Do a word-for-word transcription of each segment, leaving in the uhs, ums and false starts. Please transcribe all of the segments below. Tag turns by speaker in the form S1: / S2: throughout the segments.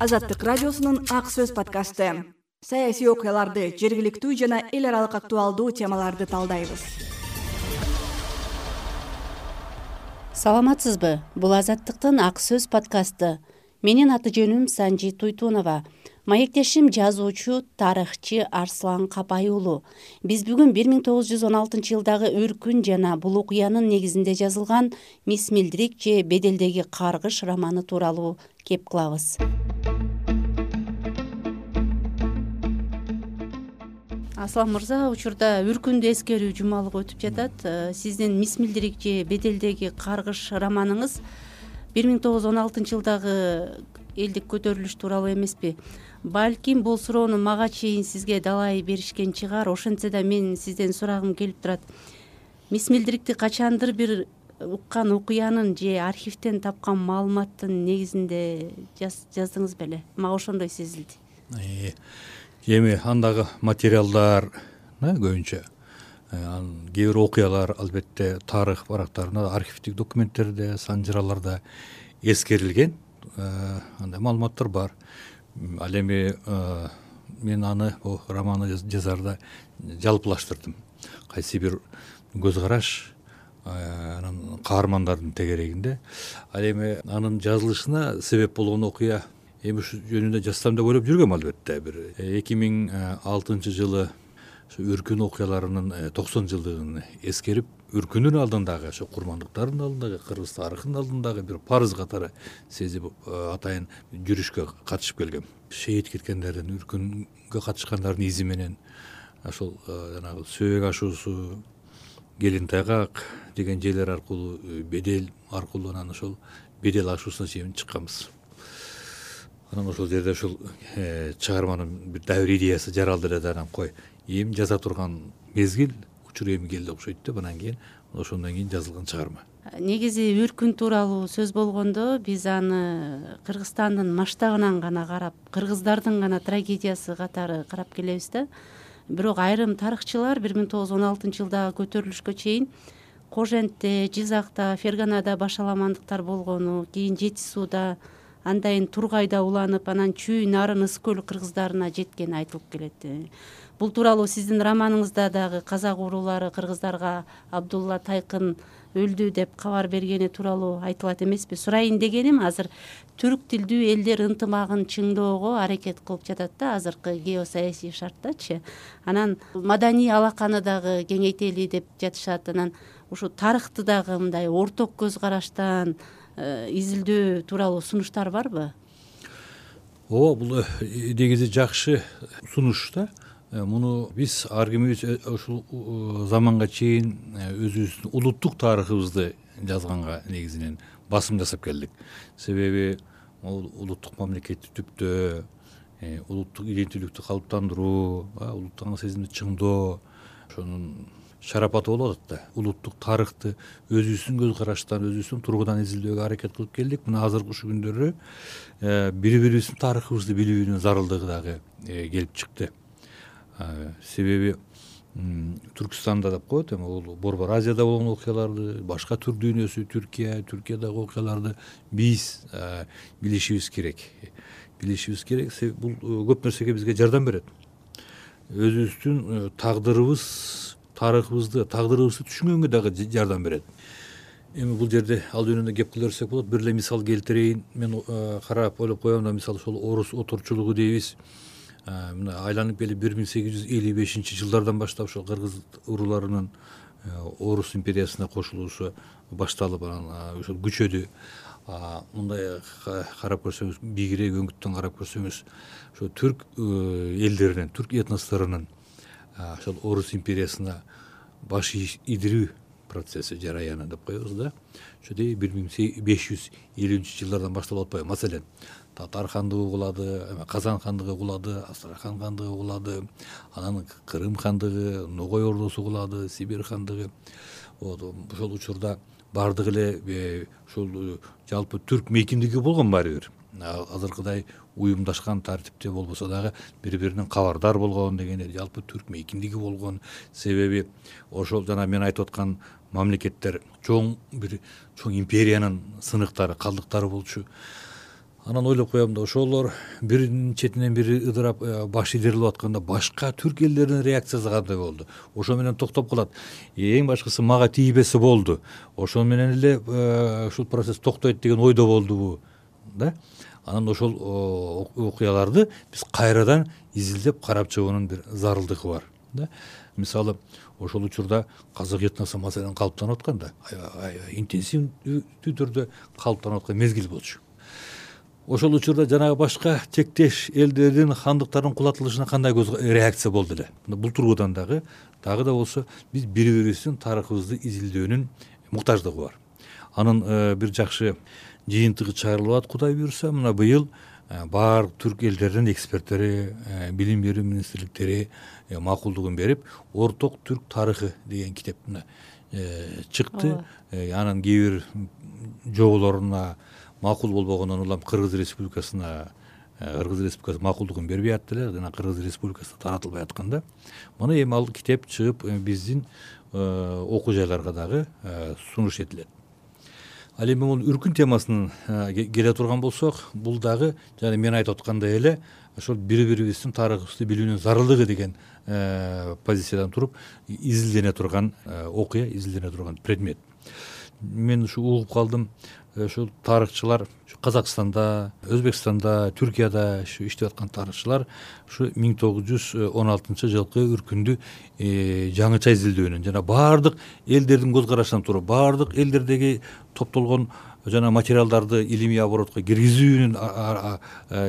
S1: Азаттык радиосунун Ак сөз подкасты. Саясий окуяларды, жергиликтүү жана эл аралык актуалдуу темаларды талдайбыз.
S2: Саламатсызбы? Бул Азаттыктын Ак сөз подкасты. Менин аты жөнүм Санжи Туйтунова. Маектешим жазуучу, тарыхчы Арслан Капай уулу. Биз бүгүн бир миң тогуз жүз он алтынчы жылдагы Үркүн жана бул окуянын негизинде жазылган Мис Милдрик же Беделдеги каргыш романы тууралуу кеп кылабыз. Аслан мырза, учурда Үркүндө эскерүү жумалыгы өтүп жатат. Сиздин Мис Милдрик же Беделдеги каргыш романыңыз бир миң тогуз жүз он алтынчы жылдагы элдик көтөрүлүш тууралуу эмеспи? Балким бул суроону мага чейин сизге далай беришкен чыгар. Ошентсе да мен сизден сурагым келип турат. Мис Милдрикти качандыр бир уккан окуянын же архивден тапкан маалыматтын негизинде жаздыңыз беле? Мага ошондой сезилди.
S3: Эми андагы материалдар көбүнчө кээ бир окуялар албетте тарых барактарында, архивдик документтерде, санжыраларда эскерилген андай маалыматтар бар. Ал эми мен аны бул романды жазарда жалпылаштырдым. Кайсы бир көз караш анан каармандардын тегерегинде. Ал эми анын жазылышына себеп болгон окуя эми ушу жөнүндө жазсам деп ойлоп жүргөм албетте. Бир эки миң алтынчы жылы Үркүн окуяларынын токсон жылдыгын эскерип, Үркүндүн алдындагы, ошо курмандыктардын алдындагы, кыргыз тарыхынын алдындагы бир парыз катары сезип атайын жүрүшкө катышып келгем. Шейит кеткендердин, Үркүнгө катышкандардын изи менен ошол жанагы Сөбөк ашуусу, Келин Тайгак деген жерлер аркылуу, Бедел аркылуу анан ошол Бедел ашуусуна чейин чыкканбыз. Анан ошол жерде ушул чыгарманын бир дабир идеясы жаралды эле да, анан кой эми жаза турган мезгил, учур эми келди окшойт деп анан кийин ошондон кийин жазылган чыгарма.
S2: Негизи Үркүн тууралуу сөз болгондо биз аны Кыргызстандын масштабынан гана карап, кыргыздардын гана трагедиясы катары карап келебиз да. Бирок айрым тарыхчылар бир миң тогуз жүз он алтынчы жылдагы көтөрүлүшкө чейин Кожентте, Жизакта, Ферганада башаламандыктар болгону, кийин Жети сууда, андайын Тургайда уланып, анан Чүй, Нарын, Ыс көл кыргыздарына жеткени айтылып келет. Бул тууралуу сиздин романыңызда дагы казак уруулары кыргыздарга Абдулла Тайкын өлдү деп кабар бергени тууралуу айтылат эмеспи? Сурайын дегеним, азыр түрк тилдүү элдер ынтымагын чыңдоого аракет кылып жатат да азыркы геосаясий шарттачы. Анан маданий алаканы дагы кеңейтели деп жатышат. Анан ушу тарыхты дагы мындай орток көз караштан изилдөө тууралуу сунуштар барбы?
S3: Ооба, бул негизи жакшы сунуш да. Муну биз ар кимибиз ушул заманга чейин өзүбүздүн улуттук тарыхыбызды жазганга негизинен басым жасап келдик. Себеби улуттук мамлекетти түптөө, улуттук иденттүүлүктү калыптандыруу, улуттук сезимди чыңдоо, ошонун шарапаты болуп атат да. Улуттук тарыхты өзүбүздүн көз караштан, өзүбүздүн тургудан изилдөөгө аракет кылып келдик. Мына азыркы ушул күндөрү бири-бирибиздин тарыхыбызды билүүнүн зарылдыгы дагы келип чыкты. Себеби Түркстанда деп коет, эми бул Борбор Азияда болгон окуяларды, башка түр дүйнөсү, Түркия, Түркиядагы окуяларды биз билишибиз керек. Билишибиз керек. Бул көп нерсеге бизге жардам берет. Өзүбүздүн тагдырыбыз, тарыхыбызды, тагдырыбызды түшүнгөнгө дагы жардам берет. Эми бул жерде ал жөнүндө кеп кыла берсек болот. Бир эле мисал келтирейин. Мен карап ойлоп коем да, мисалы ошол орус оторчулугу дейбиз. Мына айланып келип бир миң сегиз жүз элүү бешинчи жылдардан баштап ошол кыргыз урууларынын Орус империясына кошулуусу башталып, анан ошол күчөдү. Мындай карап көрсөңүз, бийигирээк өңүттөн карап көрсөңүз, ошо түрк элдеринин, түрк этносторунун ошол Орус империясына баш идирүү процесси, жараяны деп коебуз да. Ошодой бир миң беш жүз элүүнчү жылдардан башталып атпайбы? Маселен, Татар хандыгы кулады, Казан хандыгы кулады, Астрахан хандыгы кулады, анан Крым хандыгы, Ногой ордосу кулады, Сибирь хандыгы. Ошол учурда бардык эле ушул жалпы түрк мейкиндиги болгон баары бир. Азыркыдай уюмдашкан тартипте болбосо дагы бири-биринен кабардар болгон дегенде жалпы түрк мейкиндиги болгон. Себеби ошол жана мен айтып аткан мамлекеттер чоң бир чоң империянын сыныктары, калдыктары болчу. Анан ойлоп коем да ошолор биринин четинен бири ыдырап баш идирип атканда башка түрк элдеринин реакциясы кандай болду? Ошо менен токтоп калат. Эң башкысы мага тийбесе болду. Ошол менен эле ушул процесс токтойт деген ойдо болдубу, да? Анан ошол окуяларды биз кайрадан изилдеп карап чыгуунун бир зарылдыгы бар, да? Мисалы, ошол учурда казак этносу маселен калыптанып атканда, аябай интенсивдүү түрдө калыптанып аткан мезгил болчу. Ошол учурда жанагы башка тектеш элдердин хандыктардын кулатылышына кандай реакция болду эле? Бул тургудан дагы дагы да болсо биз бири бирибиздин тарыхыбызды изилдөөнүн муктаждыгы бар. Анын бир жакшы жыйынтыгы чыгарылып атат, Кудай буюрса. Мына быйыл баардык түрк элдеринин эксперттери, билим берүү министрликтери макулдугун берип, Орток түрк тарыхы деген китеп чыкты. Анын кээ бир жоболоруна макул болбогондон улам Кыргыз Республикасына Кыргыз Республикасы макулдугун бербей атты эле, жана Кыргыз Республикасына таратылбай атканда, мына эми ал китеп чыгып биздин окуу жайларга дагы сунуш этилет. Ал эми бул үркүн темасынан келе турган болсок, бул дагы жана мен айтып аткандай эле ошол бири бирибиздин тарыхыбызды билүүнүн зарылдыгы деген позициядан туруп изилдене турган окуя, изилдене турган предмет. Мен ушу угуп калдым, ушул тарыхчылар Казакстанда, Өзбекстанда, Түркияда иштеп аткан тарыхчылар ушу миң тогуз жүз он алтынчы жылкы үркүндү жаңыча изилдөөнүн жана баардык элдердин көз карашынан туруп, баардык элдердеги топтолгон жана материалдарды илимий оборотко киргизүүнүн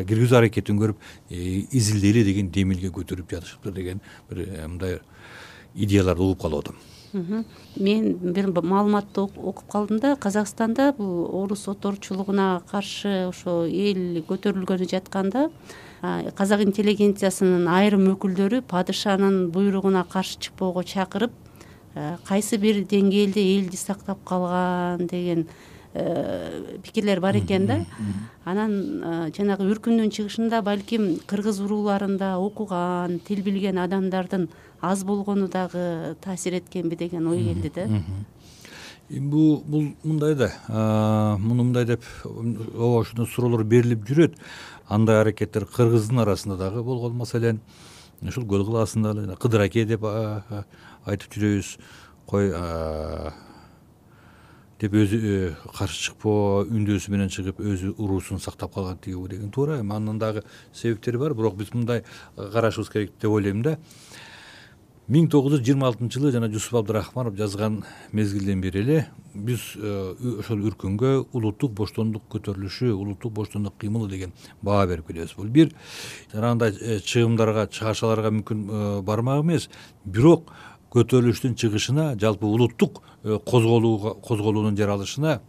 S3: киргизүү аракетин көрүп изилдейли деген демилге көтөрүп жатышыптыр деген бир мындай идеяларды угуп калып атам.
S2: Мен бир маалыматты окуп калдым да, Казакстанда бул орус оторчулугуна каршы ошо эл көтөрүлгөнү жатканда казак интеллигенциясынын айрым өкүлдөрү падышанын буйругуна каршы чыкпоого чакырып, кайсы бир деңгээлде элди сактап калган деген пикирлер бар экен да. Анан жанагы үркүндүн чыгышында балким кыргыз урууларында окуган, тил билген адамдардын аз болгону дагы таасир эткенби деген ой келди да.
S3: Бул бул мындай да, муну мындай деп ооба ушундай суроолор берилип жүрөт. Андай аракеттер кыргыздын арасында дагы болгон, маселен, ушул көл кылаасында эле Кыдыр аке деп айтып жүрөбүз. Кой деп өзү каршы чыкпоо, үндөөсү менен чыгып өзү уруусун сактап калган тиги деген туура. Анын дагы себептери бар, бирок биз мындай карашыбыз керек деп ойлойм да. миң тогуз жүз жыйырма алтынчы жылы жана Жусуп Абдырахманов жазган мезгилден бери эле биз ошол үркүнгө улуттук боштондук көтөрүлүшү, улуттук боштондук кыймылы деген баа берип келебиз. Бул бир жанагындай чыгымдарга, чыгашаларга мүмкүн бармак эмес, бирок көтөрүлүштүн чыгышына, жалпы улуттук козголууга, козголуунун жаралышына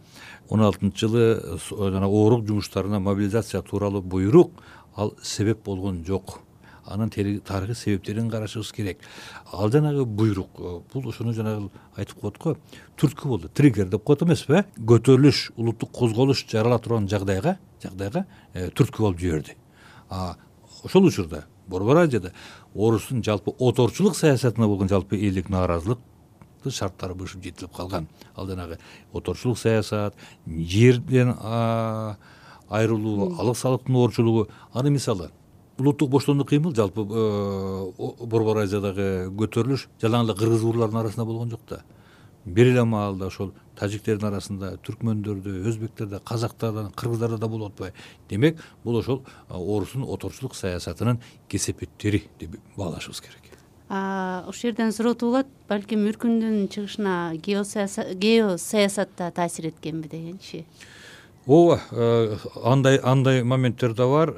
S3: он алтынчы жылы жана оорук жумуштарына мобилизация тууралуу буйрук ал себеп болгон жок. Анын тарыхый себептерин карашыбыз керек. Ал жанагы буйрук, бул ошону жанагы айтып коет го, түрткү болду, триггер деп коет эмеспи? Көтөрүлүш, улуттук козголуш жарала турган жагдайга, жагдайга түрткү болуп жиберди. Ошол учурда Борбор Азияда орустун жалпы оторчулук саясатына болгон жалпы элдик нааразылык шарттары бышып жетилип калган. Ал жанагы оторчулук саясат, жерден айрылуу, алык салыктын оорчулугу. Аны мисалы улуттук боштондук кыймыл жалпы Борбор Азиядагы көтөрүлүш жалаң эле кыргыз урууларынын арасында болгон жок да. Бир эле маалда ошол тажиктердин арасында, түркмөндөрдө, өзбектерде, казактарда, кыргыздарда да болуп атпайбы? Демек, бул ошол орустун оторчулук саясатынын кесепеттери деп баалашыбыз керек.
S2: Ошол жерден суроо болот, балким үркүндүн чыгышына геосаясат да таасир эткенби дегенчи.
S3: Ооба, андай андай моменттер да бар.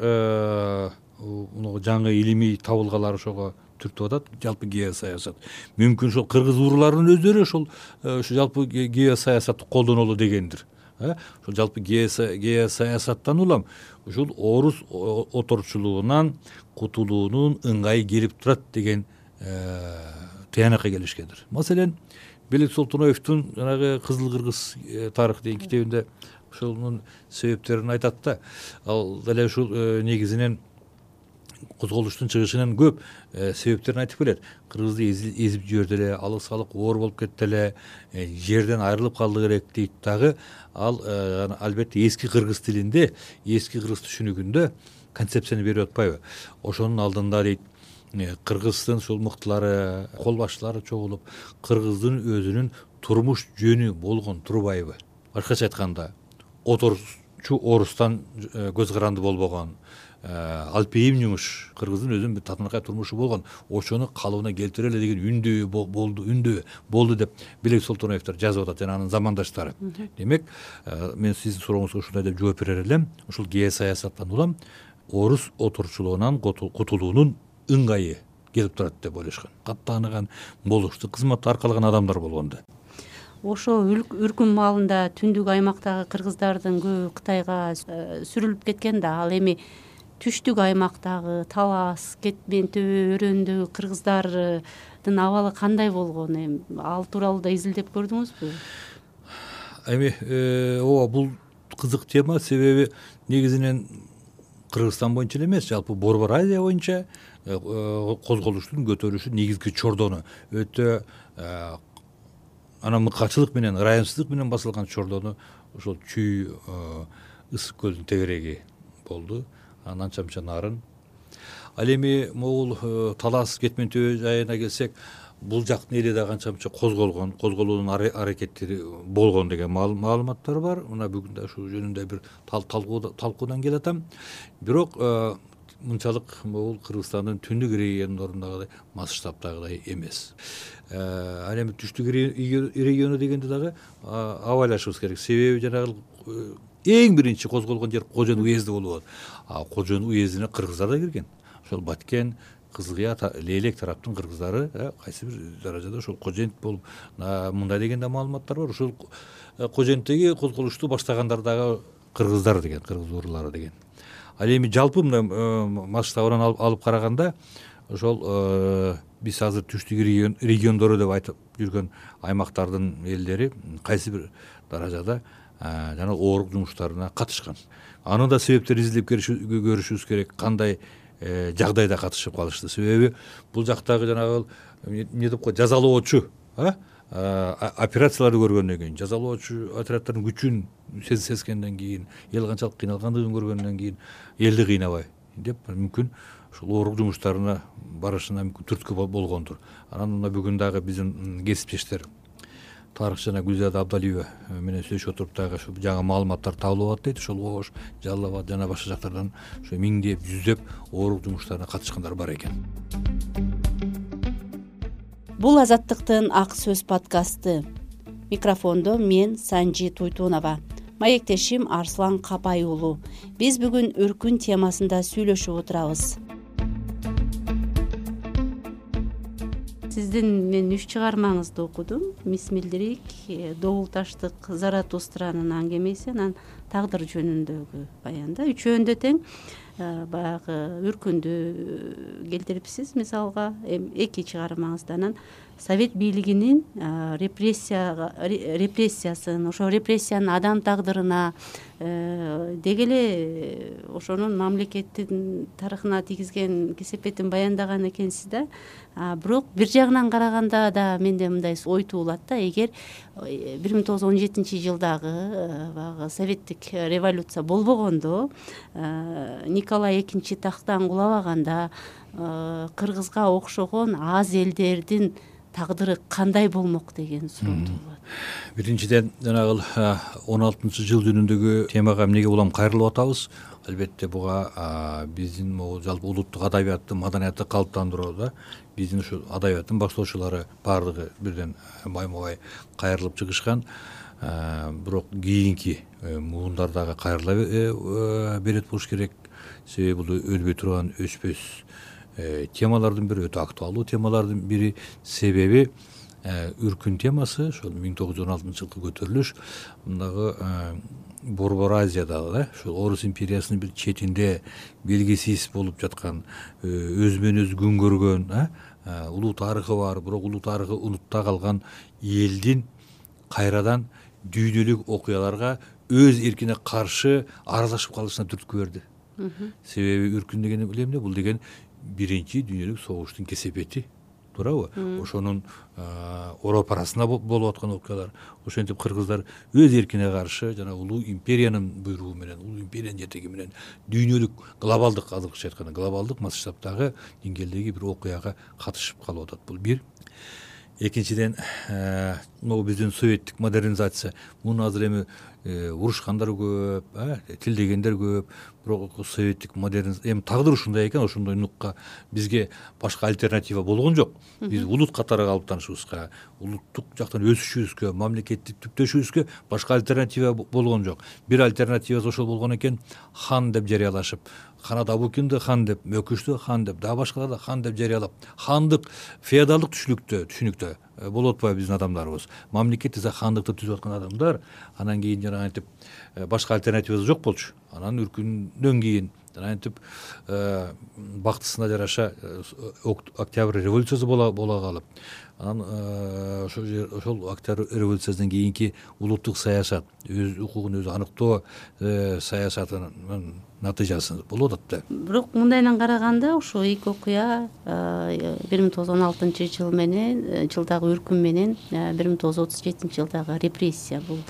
S3: Жаңы илимий табылгалар ошого түртүп атат, жалпы геосаясат. Мүмкүн ошол кыргыз урууларынын өздөрү ошол ушу жалпы геосаясатты колдонолу дегендир. Ошол жалпы геосаясаттан улам ушул орус оторчулугунан кутулуунун ыңгайы келип турат деген тыянакка келишкендир. Маселен, Белек Солтоноевдун жанагы Кызыл кыргыз тарых деген китебинде ошонун себептерин айтат да. Ал деле ушул негизинен козголуштун чыгышынын көп себептерин айтып келет. Кыргызды эзип жиберди эле, алык салык оор болуп кетти эле, жерден айрылып калды керек дейт дагы. Ал албетте эски кыргыз тилинде, эски кыргыз түшүнүгүндө концепцияны берип атпайбы. Ошонун алдында дейт, кыргыздын ушул мыктылары, кол башчылары чогулуп, кыргыздын өзүнүн турмуш жөнү болгон турбайбы. Башкача айтканда, оторчу орустан көз каранды болбогон, алпейим жумуш кыргыздын өзүнүн бир татынакай турмушу болгон, ошону калыбына келтире эле деген үндөө болду, үндөө болду деп Белек Солтоноевдор жазып атат жана анын замандаштары. Демек, мен сиздин сурооңузга ушундай деп жооп берер элем. Ушул геосаясаттан улам орус отурчулугунан кутулуунун ыңгайы келип турат деп ойлошкон. Каттааныган, болуштуу кызматты аркалаган адамдар болгондо.
S2: Ошо үркүн маалында түндүк аймактагы кыргыздардын көбү Кытайга сүрүлүп кеткен да, ал эми түштүк аймактагы Талас, Кетмен төбө өрөөндөгү кыргыздардын абалы кандай болгон? Эми ал тууралуу да изилдеп көрдүңүзбү?
S3: Эми ооба, бул кызык тема, себеби негизинен Кыргызстан боюнча эле эмес, жалпы Борбор Азия боюнча козголуштун көтөрүлүшү негизги чордону өтө анан мыкачылык менен, ырайымсыздык менен басылган чордону ошол Чүй ысык көлдүн тегереги болду. Анан анча-мынча нарын. Ал эми могул Талас, Кетмен төбө жайына келсек, бул жактын эли да канча-мынча козголгон, козголуунун аракеттери болгон деген маалыматтар бар. Мына бүгүн да ушул жөнүндө бир талкуудан келатам. Бирок мынчалык могул Кыргызстандын түндүк региондорундагыдай масштабтагыдай эмес. Ал эми түштүк региону дегенде дагы абайлашыбыз керек. Себеби жанагы эң биринчи козголгон жер Кожон уезди болуп атат. Кожон уездине кыргыздар да кирген. Ошол Баткен, Кызылкыя, Лейлек тараптын кыргыздары кайсы бир даражада ошол Кожент болуп, мындай деген да маалыматтар бар. Ошол Коженттеги козголушту баштагандар дагы кыргыздар деген, кыргыз уруулары деген. Ал эми жалпы мындай масштабынан алып караганда, ошол биз азыр түштүк региондору деп айтып жүргөн аймактардын элдери кайсы бир даражада жана оорук жумуштарына катышкан. Аны да себептерин изилдеп көрүшүбүз керек. Кандай жагдайда катышып калышты? Себеби бул жактагы жанагы эмне деп коет, жазалоочу операцияларды көргөндөн кийин, жазалоочу отряддардын күчүн сезгенден кийин, эл канчалык кыйналгандыгын көргөндөн кийин элди кыйнабай деп мүмкүн ушул оорук жумуштарына барышына мүмкүн түрткү болгондур. Анан мына бүгүн дагы биздин кесиптештер тарыхчы жана Гүлзада Абдалиева менен сүйлөшүп отуруп дагы ушул жаңы маалыматтар табылып атат дейт. Ошол Ош, Жалал Абад жана башка жактардан ошо миңдеп, жүздөп оорук жумуштарына катышкандар бар экен.
S2: Бул Азаттыктын Ак сөз подкасты. Микрофондо мен Санжи Туйтунова. Маектешим Арслан Капай уулу. Биз бүгүн үркүн темасында сүйлөшүп отурабыз. Сиздин мен үч чыгармаңызды окудум. Мисмилдирик, Добул таштык Заратустранын аңгемеси, анан тагдыр жөнүндөгү баянда. Үчөөндө тең баягы үркүндү келтирипсиз. Мисалга эки чыгармаңыздан Совет бийлигинин репрессияга репрессиясын, ошо репрессиянын адам тагдырына, деги эле ошонун мамлекеттин тарыхына тийгизген кесепетин баяндаган экенсиз да. Бирок бир жагынан караганда да менде мындай ой туулат да, эгер бир миң тогуз жүз он жетинчи жылдагы баягы советтик революция болбогондо, Николай экинчи тахттан кулабаганда кыргызга окшогон аз элдердин тагдыры кандай болмок деген суроо туулат.
S3: Биринчиден жанагы он алтынчы жыл жөнүндөгү темага эмнеге улам кайрылып атабыз? Албетте буга биздин могул жалпы улуттук адабиятты, маданиятты калыптандырууда биздин ушу адабияттын баштоочулары баардыгы бирден байма-бай кайрылып чыгышкан. Бирок кийинки муундар дагы кайрыла берет болуш керек. Себеби бул өлбөй турган өчпөс темалардын бири, өтө актуалдуу темалардын бири. Себеби үркүн темасы ошол миң тогуз жүз он алтынчы жылкы көтөрүлүш мындагы Борбор Азиядагы да ошол Орус империясынын бир четинде белгисиз болуп жаткан, өзүмөн өзү күн көргөн, улуу тарыхы бар, бирок улуу тарыхы унутта калган элдин кайрадан дүйнөлүк окуяларга өз эркине каршы аралашып калышына түрткү берди. Себеби үркүн деген эмне? Бул деген биринчи дүйнөлүк согуштун кесепети, туурабы? Ошонун Европа арасында болуп аткан окуялар. Ошентип кыргыздар өз эркине каршы жана улуу империянын буйругу менен, улуу империянын жетеги менен дүйнөлүк глобалдык, азыркыча айтканда глобалдык масштабтагы деңгээлдеги бир окуяга катышып калып атат. Бул бир. Экинчиден, могу биздин советтик модернизация, муну азыр эми урушкандар көп, тилдегендер көп, бирок советтик модернизация эми тагдыр ушундай экен, ошондой нукка бизге башка альтернатива болгон жок. Биз улут катары калыптанышыбызга, улуттук жактан өсүшүбүзгө, мамлекеттик түптөшүбүзгө башка альтернатива болгон жок. Бир альтернативасы ошол болгон экен, хан деп жарыялашып, Ханат Абукинди хан деп, Мөкүштү хан деп, дагы башкаларды хан деп жарыялап, хандык феодалдык түшүнүктө, түшүнүктө болуп атпайбы биздин адамдарыбыз. Мамлекет десе хандыкты түзүп аткан адамдар, анан кийин жана антип башка альтернативасы жок болчу. Анан үркүндөн кийин жана антип бактысына жараша Октябрь революциясы бола бола калып, анан ошол Октябрь революциясынан кийинки улуттук саясат, өз укугун өзү аныктоо саясатынын натыйжасы болуп атат да.
S2: Бирок мындайдан караганда ошо эки окуя бир миң тогуз жүз он алтынчы жыл менен жылдагы үркүн менен бир миң тогуз жүз отуз жетинчи жылдагы репрессия, бул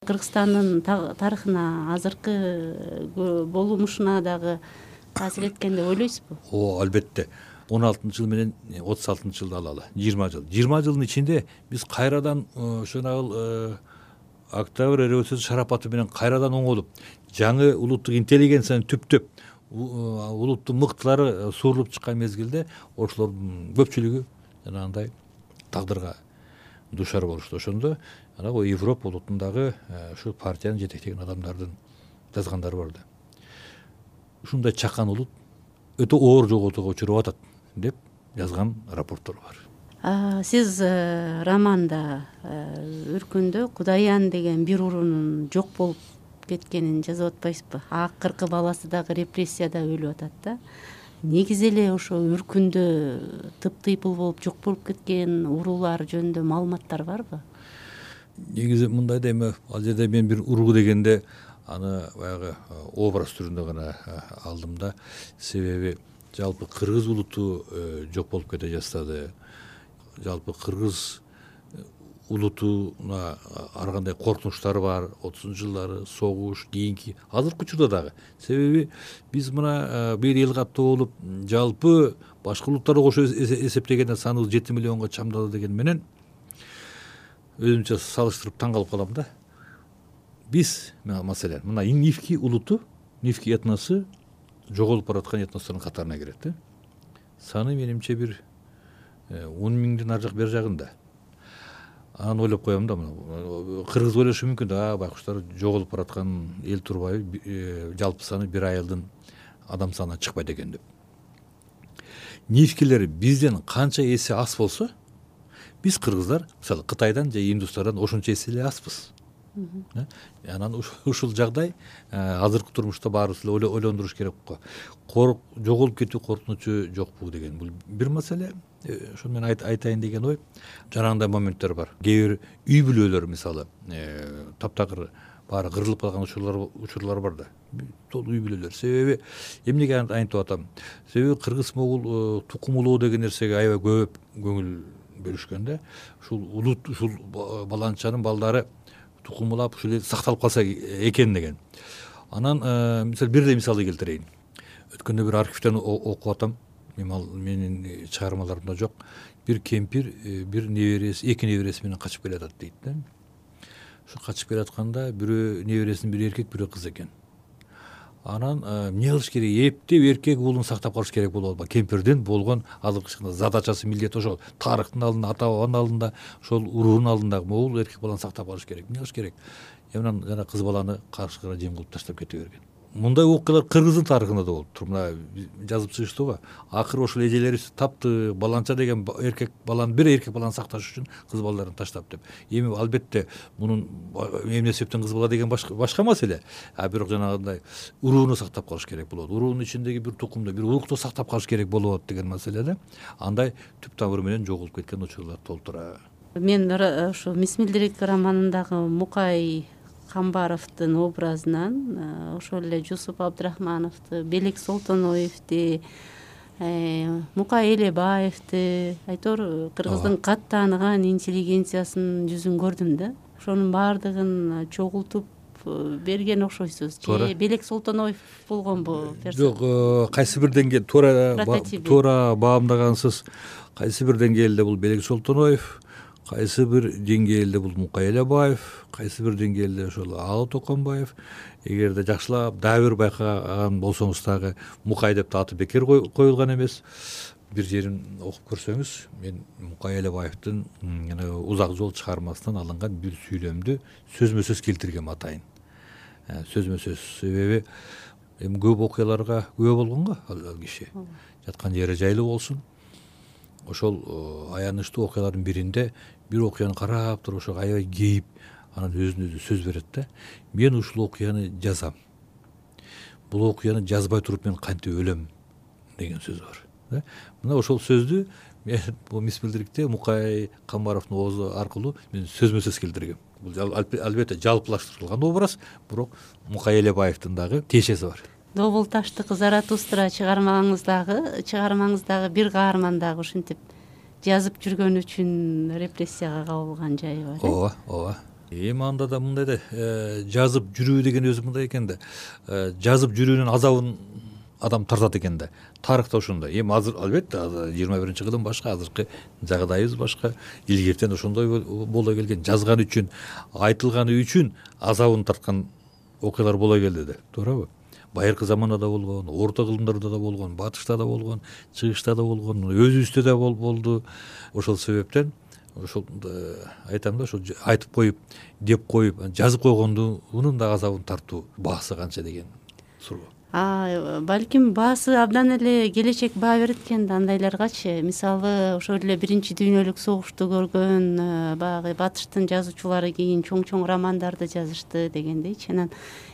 S2: Кыргызстандын тарыхына, азыркы болумушуна дагы таасир эткен деп ойлойсузбу?
S3: О, албетте. он алтынчы жыл менен отуз алтынчы жылды алалы. жыйырма жыл. жыйырма жылдын ичинде биз кайрадан ошол Октябрь революциясы шарапаты менен кайрадан оңолуп, жаңы улуттук интеллигенцияны түптөп, улуттун мыктылары суурулуп чыккан мезгилде ошолордун көпчүлүгү жанагындай тагдырга душар болушту. Ошондо анагы Европа улутундагы ушу партияны жетектеген адамдардын жазгандары бар да. Ушундай чакан улут өтө оор жоготууга учуруп атат деп жазган рапорттор бар.
S2: Сиз романда үркүндө Кудаян деген бир уруунун жок болуп кеткенин жазып атпайсызбы? Акыркы баласы дагы репрессияда өлүп атат да. Негизи эле ошо үркүндө тыптыйпыл болуп жок болуп кеткен уруулар жөнүндө маалыматтар барбы?
S3: Негизи мындай да, эми ал жерде мен бир уруу дегенде аны баягы образ түрүндө гана алдым да. Себеби жалпы кыргыз улуту жок болуп кете жаздады. Жалпы кыргыз улутуна ар кандай коркунучтары бар, отузунчу жылдары согуш, кийинки азыркы учурда дагы. Себеби биз мына бир эл каттуу болуп, жалпы башка улуттарга кошо эсептегенде саныбыз жети миллионго чамдады деген менен өзүмчө салыштырып таң калып калам да. Биз маселен мына Нивки улуту, Нивки этносу жоголуп бараткан этностордун катарына кирет да. Саны менимче бир он миңдин ар жак бер жагында. Аны ойлоп коем да, кыргыз ойлошу мүмкүн да, байкуштар жоголуп бараткан эл турбайбы, жалпы саны бир айылдын адам санына чыкпайт экен деп. Нивкилер бизден канча эсе аз болсо, биз кыргыздар мисалы Кытайдан же Индустардан ошончо эсе эле азбыз. Анан ушул жагдай азыркы турмушта баарыбыз эле ойлондуруш керек го. Жоголуп кетүү коркунучу жокпу деген бул бир маселе. Ошону мен айтайын деген ой. Жанагындай моменттер бар. Кээ бир үй бүлөлөр мисалы таптакыр баары кырылып калган учурлар учурлар бар да. Толук үй бүлөлөр. Себеби эмнеге айтып атам? Себеби кыргыз могул тукум улоо деген нерсеге аябай көп көңүл бөлүшкөн да. Ушул улут, ушул баланчанын балдары тукумулап ушул эл сакталып калса экен деген. Анан мисалы бир эле мисалды келтирейин. Өткөндө бир архивден окуп атам. Менин чыгармаларымда жок. Бир кемпир бир небереси, эки небереси менен качып келатат дейт да. Ушу качып келатканда бирөө небересинин бири эркек, бирөө кыз экен. Анан эмне кылыш керек? Эптеп эркек уулун сактап калыш керек болуп атпайбы? Кемпирдин болгон азыркы задачасы, милдети ошол. Тарыхтын алдында, ата бабанын алдында, ошол уруунун алдында могул эркек баланы сактап калыш керек. Эмне кылыш керек? Анан жана кыз баланы каршыга жем кылып таштап кете берген. Мындай окуялар кыргыздын тарыхында да болуп тур. Мына жазып чыгыштыбы? Акыры ошол эжелерибиз тапты, баланча деген эркек баланы, бир эркек баланы сакташ үчүн кыз балдарын таштап деп. Эми албетте мунун эмне себептен кыз бала деген башка башка маселе. А бирок жанагындай урууну сактап калыш керек болот. Уруунун ичиндеги бир тукумду, бир урукту сактап калыш керек болот деген маселеде андай түп тамыры менен жоголуп кеткен учурлар толтура.
S2: Мен ошо Мисмилдирик романындагы Мукай Камбаровдун образынан ошол эле Жусуп Абдрахмановду, Белек Солтоноевди, Мукай Элебаевди, айтор кыргыздын кат тааныган интеллигенциясынын жүзүн көрдүм да. Ошонун баардыгын чогултуп берген окшойсуз. Же Белек Солтоноев болгонбу?
S3: Жок, кайсы бир деңгээл туура туура баамдагансыз. Кайсы бир деңгээлде бул Белек Солтоноев, кайсы бир деңгээлде бул Мукай Элебаев, кайсы бир деңгээлде ошол Алы Токонбаев. Эгерде жакшылап дагы бир байкаган болсоңуз дагы Мукай деп аты бекер коюлган эмес. Бир жерин окуп көрсөңүз, мен Мукай Элебаевдин Узак жол чыгармасынан алынган бир сүйлөмдү сөзмө сөз келтиргем атайын. Сөзмө сөз себеби эми көп окуяларга күбө болгон го ал киши. Жаткан жери жайлуу болсун. Ошол аянычтуу окуялардын биринде бир окуяны карап туруп ошого аябай кейип, анан өзүнө өзү сөз берет да. Мен ушул окуяны жазам. Бул окуяны жазбай туруп мен кантип өлөм деген сөз бар. Мына ошол сөздү мен бул мисбилдирикте Мукай Камбаровдун оозу аркылуу мен сөзмө сөз келтиргем. Бул албетте жалпылаштырылган образ, бирок Мукай Элебаевдин дагы тиешеси бар.
S2: Добул таштыкы Заратустра чыгармаңыздагы чыгармаңыздагы бир каарман дагы ушинтип жазып жүргөн үчүн репрессияга кабылган жайы бар.
S3: Ооба, ооба. Эми анда да мындай да жазып жүрүү деген өзү мындай экен да. Жазып жүрүүнүн азабын адам тартат экен да. Тарыхта ошондой. Эми азыр албетте жыйырма биринчи кылым башка, азыркы жагдайыбыз башка. Илгертен ошондой боло келген, жазган үчүн, айтылганы үчүн азабын тарткан окуялар боло келди да. Туурабы? Байыркы заманда да болгон, орто кылымдарда да болгон, батышта да болгон, чыгышта да болгон, өзүбүздө да болду. Ошол себептен ошол айтам да, ошол айтып коюп, деп коюп, жазып койгондунун да азабын тартуу баасы канча деген суроо.
S2: А балким баасы абдан эле келечек баа берет экен да андайларгачы. Мисалы, ошол эле биринчи дүйнөлүк согушту көргөн баягы батыштын жазуучулары кийин чоң-чоң романдарды жазышты дегендейчи. Анан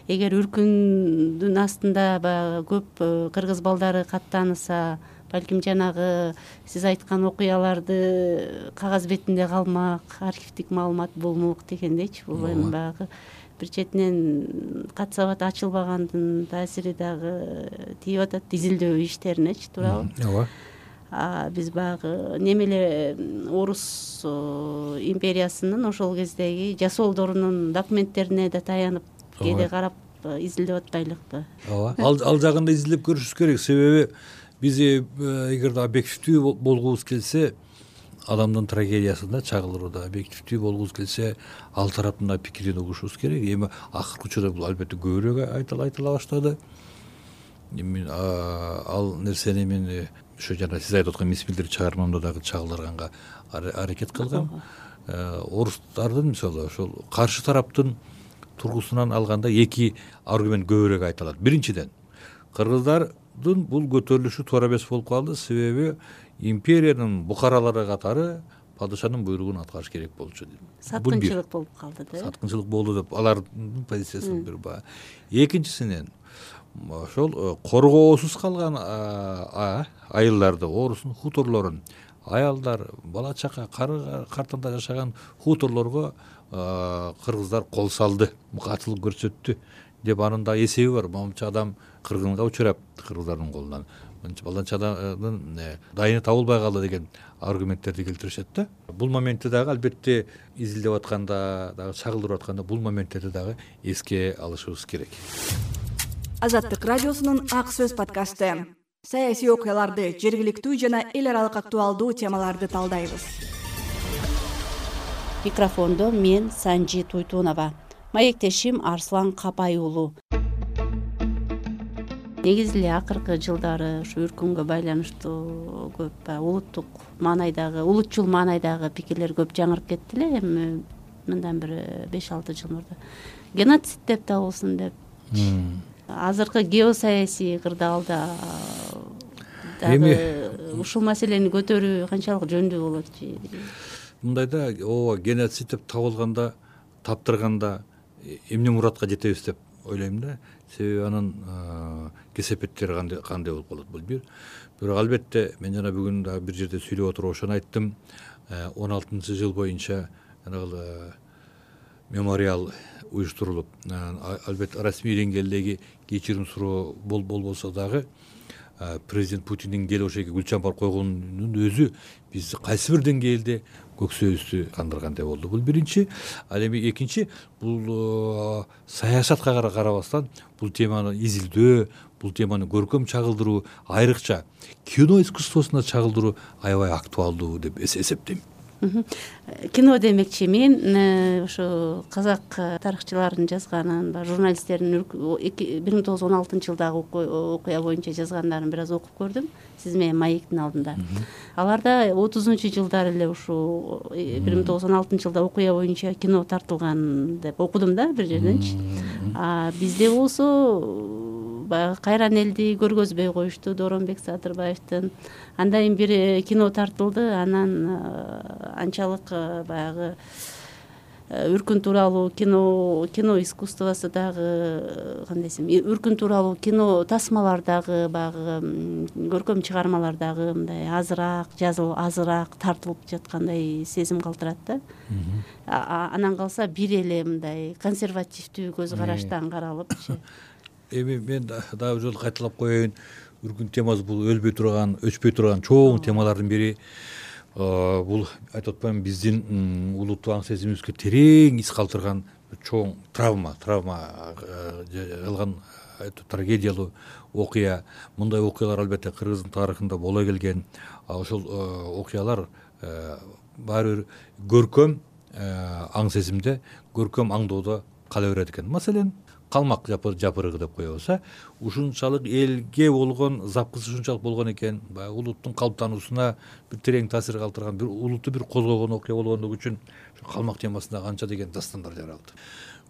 S2: эгер үркүндүн астында баягы көп кыргыз балдары каттаныса, балким жанагы сиз айткан окуяларды кагаз бетинде калмак, архивдик маалымат болмок дегендейчи. Бул эми баягы бир четинен кат сабат ачылбагандын таасири дагы тийип атат изилдөө иштеринечи, туурабы? Ооба. Биз баягы немеле орус империясынын ошол кездеги жасоолдорунун документтерине да таянып кээде карап изилдеп атпайлыкпы?
S3: Ооба. Ал жагында изилдеп көрүшүбүз керек. Себеби биз эгерде объективдүү болгубуз келсе, адамдын трагедиясында чагылууда объективдүү болгубуз келсе, ал тараптын да пикирин угушубуз керек. Эми акыркы учурда бул албетте көбүрөөк айтыла баштады. Эми ал нерсени мен ошо жана сиз айтып аткан мисбилдир чыгармамда дагы чагылдырганга аракет кылгам. Орустардын мисалы ошол каршы тараптын тургусунан алганда эки аргумент көбүрөөк айтылат. Биринчиден, кыргыздардын бул көтөрүлүшү туура эмес болуп калды, себеби империянын букаралары катары падышанын буйругун аткарыш керек болчу дейт.
S2: Саткынчылык болуп калды да.
S3: Саткынчылык болду деп алардын позициясын бир баа. Экинчисинен, ошол коргоосуз калган айылдарды, орустун хуторлорун, аялдар, бала чака, кары картында жашаган хуторлорго кыргыздар кол салды, катылык көрсөттү деп анын да эсеби бар. Момча адам кыргынга учурап кыргыздардын колунан, баланча адамдын дайыны табылбай калды деген аргументтерди келтиришет да. Бул моментти дагы албетте изилдеп атканда, дагы чагылдырып атканда бул моменттерди дагы эске алышыбыз керек.
S1: Азаттык радиосунун Ак сөз подкасты. Саясий окуяларды, жергиликтүү жана эл аралык актуалдуу темаларды талдайбыз.
S2: Микрофондо мен Санжи Туйтунова, маектешим Арслан Капай уулу. Негизи эле акыркы жылдары ушу үркүнгө байланыштуу көп улуттук маанайдагы, улутчул маанайдагы пикирлер көп жаңырып кетти эле. Эми мындан бир беш алты жыл мурда геноцид деп табылсын деп. Азыркы геосаясий кырдаалда дагы ушул маселени көтөрүү канчалык жөндүү болотчу?
S3: Мындайда ооба геноцид деп табылганда, таптырганда эмне муратка жетебиз деп ойлойм да. Себеби анын кесепеттери кандай болуп калат бул бир. Бирок албетте мен жана бүгүн дагы бир жерде сүйлөп отуруп ошону айттым. он алтынчы жыл боюнча жанагы мемориал уюштурулуп, албетте расмий деңгээлдеги кечирим суроо болбосо дагы президент Путиндин келип ошол жерге гүл чампар койгонунун өзү бизди кайсы бир деңгээлде көксөбүздү кандыргандай болду. Бул биринчи. Ал эми экинчи, бул саясатка карабастан бул теманы изилдөө, бул теманы көркөм чагылдыруу, айрыкча кино искусствосуна чагылдыруу аябай актуалдуу деп эсептейм.
S2: Кино демекчи мен ошо казак тарыхчыларынын жазганын, журналисттердин бир миң тогуз жүз он алтынчы жылдагы окуя боюнча жазгандарын бир аз окуп көрдүм сиз менен маектин алдында. Аларда отузунчу жылдары эле ушул бир миң тогуз жүз он алтынчы жылда окуя боюнча кино тартылган деп окудум да бир жерденчи. А бизде болсо баягы кайран элди көргөзбөй коюшту Дооронбек Садырбаевдин. Андан бир кино тартылды, анан анчалык баягы үркүн тууралуу кино кино искусствосу дагы кандай десем, үркүн тууралуу кино тасмалар дагы баягы көркөм чыгармалар дагы мындай азыраак жазылып, азыраак тартылып жаткандай сезим калтырат да. Анан калса бир эле мындай консервативдүү көз караштан каралыпчы.
S3: Эми мен дагы бир жолу кайталап коеюн. Үркүн темасы бул өлбөй турган, өчпөй турган чоң темалардын бири. Бул айтып атпаймынбы, биздин улуттуу аң сезимибизге терең из калтырган чоң травма, травма кылган трагедиялуу окуя. Мындай окуялар албетте Кыргыздын тарыхында боло келген. Ошол окуялар баары бир көркөм аң сезимде, көркөм аңдоодо кала берет экен. Маселен, калмак жапырыгы деп коебуз. Ушунчалык элге болгон запкысы ушунчалык болгон экен, баягы улуттун калыптануусуна бир терең таасир калтырган, бир улутту бир козгогон окуя болгондугу үчүн калмак темасында канча деген дастандар жаралды.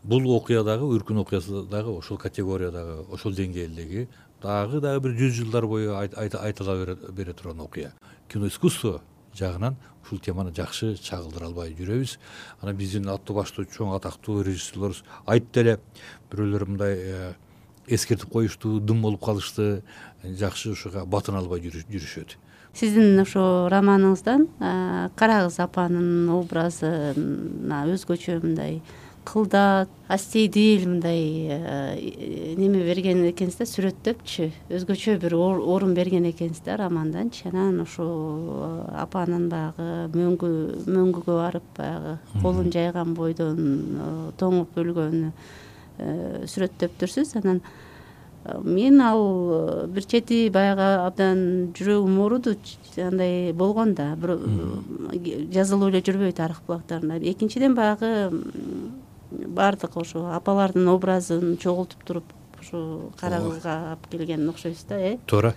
S3: Бул окуя дагы, үркүн окуясы дагы ошол категориядагы, ошол деңгээлдеги дагы дагы бир жүз жылдар бою айтыла бере турган окуя. Кино искусство жагынан ушул теманы жакшы чагылдыра албай жүрөбүз. Анан биздин аттуу баштуу чоң атактуу режиссерлор айтты эле, бирөөлөр мындай эскертип коюшту, дым болуп калышты, жакшы ушуга батына албай жүрүшөт.
S2: Сиздин ошо романыңыздан Карагыз апанын образына өзгөчө мындай кылдат, астейдил мындай неме берген экенсиз да, сүрөттөпчү, өзгөчө бир орун берген экенсиз да романданчы. Анан ошо апанын баягы мөңгү мөңгүгө барып баягы колун жайган бойдон тоңуп өлгөнү сүрөттөптүрсүз. Анан мен ал бир чети баягы абдан жүрөгүм ооруду, андай болгон да, жазылып эле жүрбөй тарых булактарында. Экинчиден баягы баардык ошо апалардын образын чогултуп туруп ошо Карагызга алып келген окшойсуз да, э?
S3: Туура.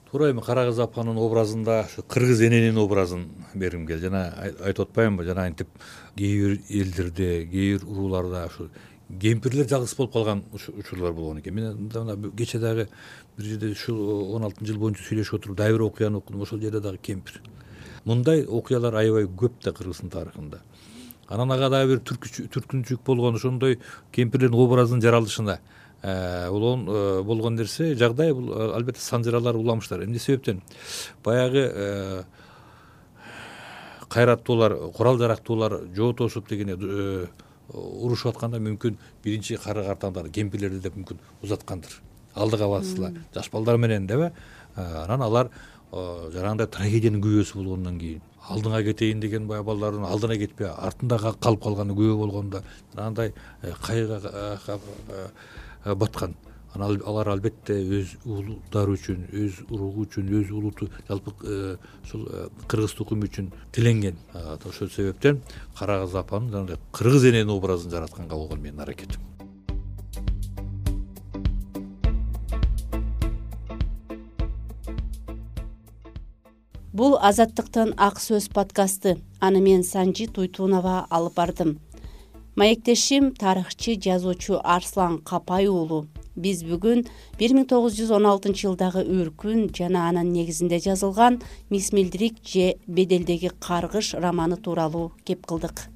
S3: Туура, эми Карагыз апанын образында ошо кыргыз эненин образын бергим келди. Жана айтып атпаймынбы, жана антип кээ бир элдерде, кээ бир урууларда ошо кемпирлер жалгыз болуп калган учурлар болгон экен. Мен мына кече дагы бир жерде ушул он алтынчы жыл боюнча сүйлөшүп отуруп дагы бир окуяны окудум. Ошол жерде дагы кемпир. Мындай окуялар аябай көп да Кыргыздын тарыхында. Анан ага дагы бир түркүнчүлүк болгон, ошондой кемпирлердин образынын жаралышына болгон болгон нерсе жагдай. Бул албетте санжыралар уламыштар. Эмне себептен? Баягы кайраттуулар, курал жарактуулар жоотошуп дегене урушуп атканда мүмкүн биринчи кары картаңдар кемпирлерди деп мүмкүн узаткандыр. Алдыга бассыла жаш балдар менен деп. Анан алар жарандай трагедиянын күбөсү болгондон кийин алдыңа кетейин деген бая балдардын алдына кетпей артында калып калганы күбө болгондо андай кайгыга баткан. Анан алар албетте өз улуттары үчүн, өз уругу үчүн, өз улуту жалпы ушул кыргыз тукуму үчүн тиленген. Ошол себептен Карагыз апанын жана кыргыз эненин образын жаратканга болгон менин аракетим.
S2: Бул Азаттыктын ак сөз подкасты. Аны мен Санжи Туйтунова алып бардым. Маектешим тарыхчы, жазуучу Арслан Капай уулу. Биз бүгүн бир миң тогуз жүз он алтынчы жылдагы Үркүн жана анын негизинде жазылган Мисмилдирик же Беделдеги каргыш романы тууралуу кеп кылдык.